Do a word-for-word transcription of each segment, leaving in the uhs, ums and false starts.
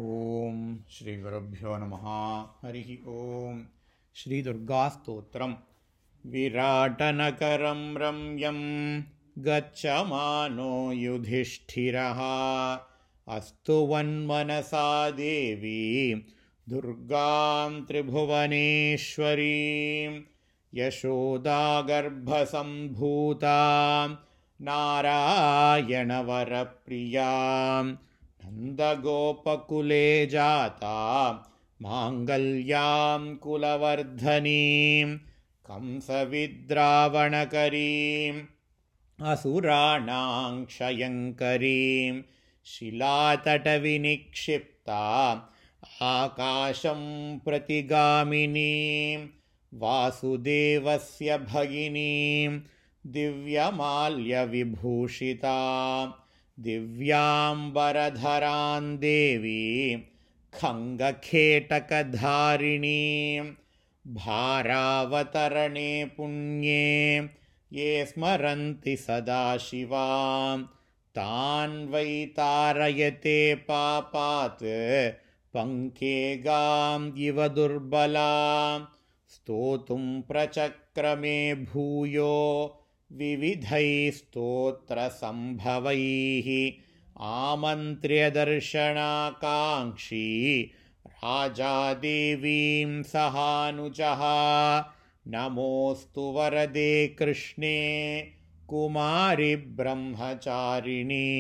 ओम श्री गुरुभ्यो नमः। हरि ओम। श्री दुर्गास्तोत्रम्। विराटनकरं रम्यं गच्छमानो युधिष्ठिरः अस्तु वन्मनसा देवी दुर्गां त्रिभुवनेश्वरीं यशोदागर्भसम्भूतां नारायणवरप्रियां नन्दगोपकुले जाता माङ्गल्यां कुलवर्धनीं कंसविद्रावणकरीम् असुराणां क्षयङ्करीं शिलातटविनिक्षिप्ता आकाशं प्रतिगामिनीं वासुदेवस्य भगिनीं दिव्यमाल्यविभूषितां दिव्याम्बरधरां देवीं खङ्गखेटकधारिणीं भारावतरणे पुण्ये ये स्मरन्ति सदा शिवां तान् वै तारयते पापात् पङ्केगां इव दुर्बलां स्तोतुं प्रचक्रमे भूयो विविधैः स्तोत्रसम्भवैः आमन्त्र्य दर्शनाकाङ्क्षी राजा देवीं सहानुजः नमोऽस्तु वरदे कृष्णे कुमारि ब्रह्मचारिणि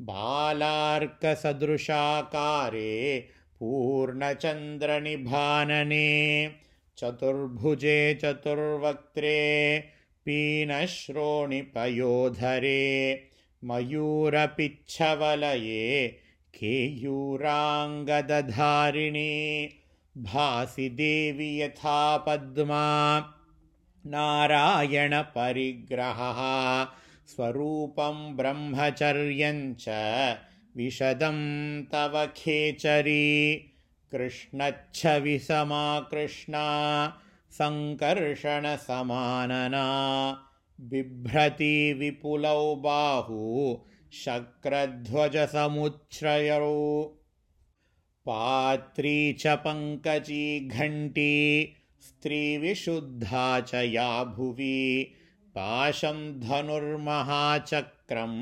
बालार्कसदृशाकारे पूर्णचन्द्रनिभानने चतुर्भुजे चतुर्वक्त्रे पीनश्रोणिपयोधरे मयूरपिच्छवलये केयूराङ्गदधारिणि भासि देवि यथा पद्मा नारायणपरिग्रहः स्वरूपं ब्रह्मचर्यं च विशदं तव खेचरी कृष्णच्छविसमा कृष्णा सङ्कर्षणसमानना बिभ्रति विपुलौ बाहु शक्रध्वजसमुच्छ्रयौ पात्री च पङ्कजी घण्टी स्त्रीविशुद्धा च या भुवि पाशं धनुर्महाचक्रं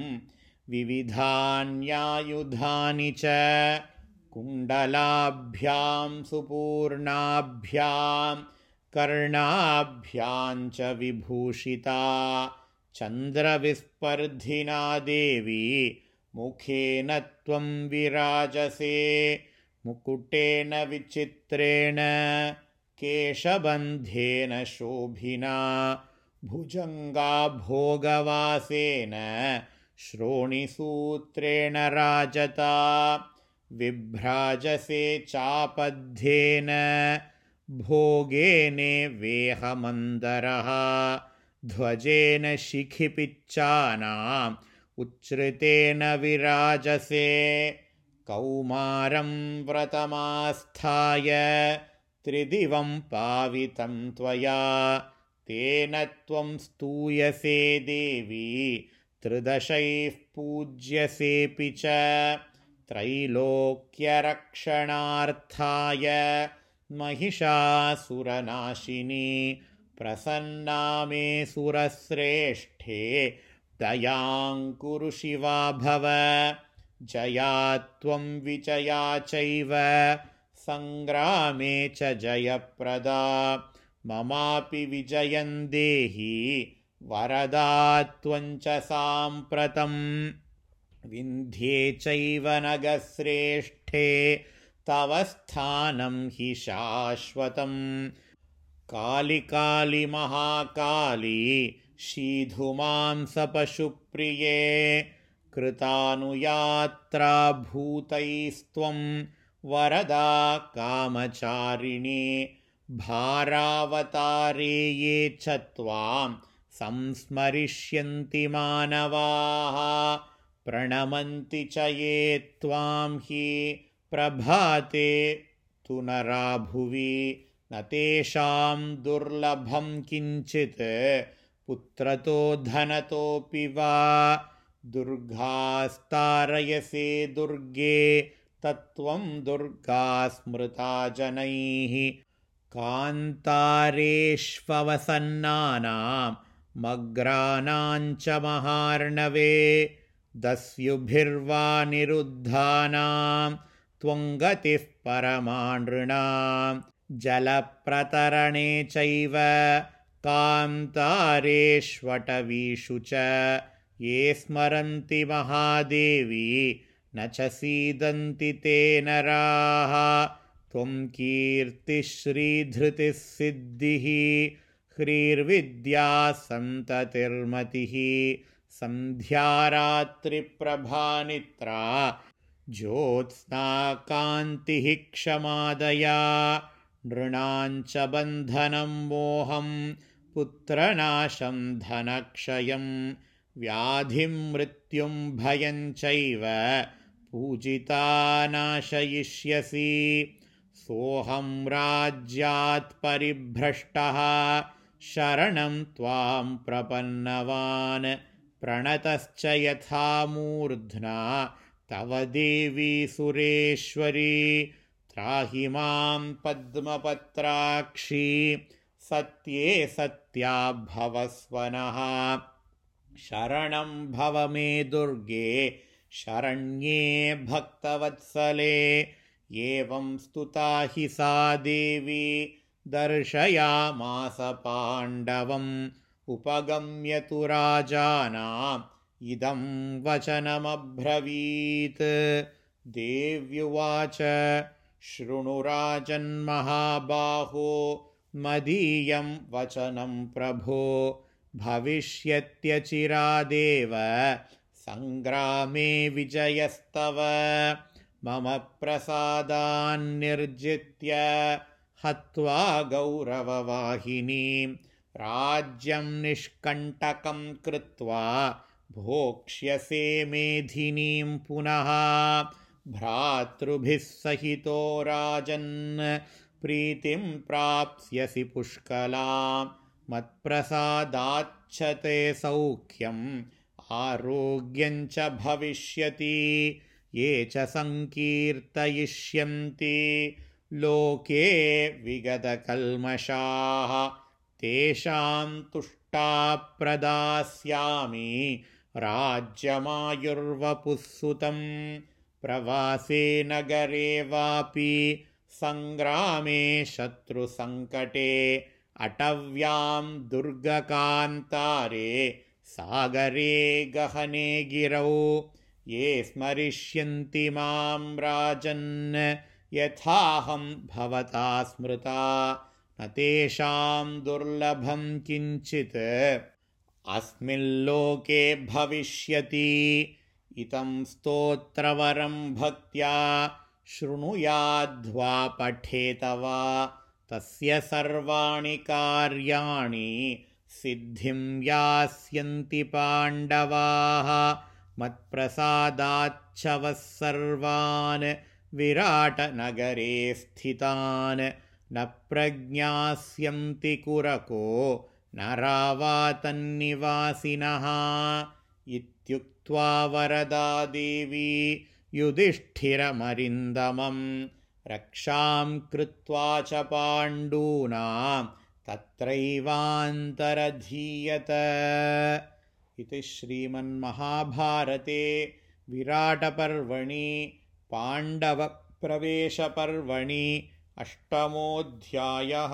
विविधान्यायुधानि च कुण्डलाभ्यां सुपूर्णाभ्यां कर्णाभ्यां च विभूषिता चन्द्रविस्पर्धिना देवी मुखेन त्वं विराजसे मुकुटेन विचित्रेण केशबन्धेन शोभिना भुजङ्गा भोगवासेन श्रोणिसूत्रेण राजता विभ्राजसे चापद्येन भोगेने वेहमन्दरः ध्वजेन शिखिपिच्चानाम् उच्छ्रितेन विराजसे कौमारं व्रतमास्थाय त्रिदिवं पावितं त्वया तेन त्वं स्तूयसे देवी त्रिदशैः पूज्यसेऽपि च त्रैलोक्यरक्षणार्थाय महिषासुरनाशिनी प्रसन्ना मे सुरश्रेष्ठे दयां कुरु शिवा भव जया त्वं विजया चैव सङ्ग्रामे च जयप्रदा ममापि विजयं देहि वरदा त्वं च साम्प्रतं विन्ध्ये चैव नगश्रेष्ठे तव स्थानं हि शाश्वतं काली काली महाकाली शीधुमांसपशुप्रिये कृतानुयात्रा भूतैस्त्वं वरदा कामचारिणि भारावतारे ये च त्वां संस्मरिष्यन्ति मानवाः प्रणमन्ति च ये त्वां हि प्रभाते तु नरा भुवि न तेषां दुर्लभं किञ्चित् पुत्रतो धनतोऽपि वा दुर्गास्तारयसे दुर्गे तत्त्वं दुर्गा स्मृता जनैः कान्तारेष्ववसन्नानां मग्राणां च महार्णवे दस्युभिर्वा निरुद्धानां त्वं गतिः परमानृणां जलप्रतरणे चैव कान्तारेष्वटवीषु च ये स्मरन्ति महादेवी न च सीदन्ति ते नराः त्वं कीर्तिश्रीधृतिः सिद्धिः ह्रीर्विद्या सन्ततिर्मतिः सन्ध्यारात्रिप्रभानित्रा ज्योत्स्ना कान्तिः क्षमादया नृणां च बन्धनं मोहं पुत्रनाशं धनक्षयं व्याधिं मृत्युं भयं चैव पूजिता नाशयिष्यसि सोऽहं राज्यात् परिभ्रष्टः शरणं त्वां प्रपन्नवान् प्रणतश्च यथा मूर्ध्ना तव देवी सुरेश्वरी त्राहि मां पद्मपत्राक्षी सत्ये सत्या भवस्वनः शरणं भव मे दुर्गे शरण्ये भक्तवत्सले एवं स्तुता हि सा देवी दर्शयामास पाण्डवम् उपगम्य तु राजानाम् इदं वचनमब्रवीत् देव्युवाच शृणु राजन्महाबाहो मदीयं वचनं प्रभो भविष्यत्यचिरादेव सङ्ग्रामे विजयस्तव मम प्रसादान्निर्जित्य हत्वा गौरववाहिनीं राज्यं निष्कण्टकं कृत्वा भोक्ष्यसे मेधिनीं पुनः भ्रातृभिः सहितो राजन् प्रीतिं प्राप्स्यसि पुष्कलां मत्प्रसादाच्च ते सौख्यम् आरोग्यं च भविष्यति ये च संकीर्तयिष्यन्ति लोके विगतकल्मषाः तेषां तुष्टा प्रदास्यामि राज्यमायुर्वपुःसुतं प्रवासे नगरे वापि सङ्ग्रामे शत्रुसङ्कटे अटव्यां दुर्गकान्तारे सागरे गहने गिरौ ये स्मरिष्यन्ति मां राजन् यथाहं भवता स्मृता न तेषां दुर्लभं किञ्चित् अस्मिल्लोके भविष्यति इतं स्तोत्रवरं भक्त्या शृणुयाद्वा पठेत वा तस्य सर्वाणि कार्याणि सिद्धिं यास्यन्ति पाण्डवाः मत्प्रसादाच्छवः सर्वान् विराटनगरे स्थितान् न प्रज्ञास्यन्ति कुरको न रावातन्निवासिनः इत्युक्त्वा वरदा देवी युधिष्ठिरमरिन्दमं रक्षां कृत्वा च पाण्डूनां तत्रैवान्तरधीयत। इति श्रीमन्महाभारते विराटपर्वणि पाण्डवप्रवेशपर्वणि अष्टमोऽध्यायः।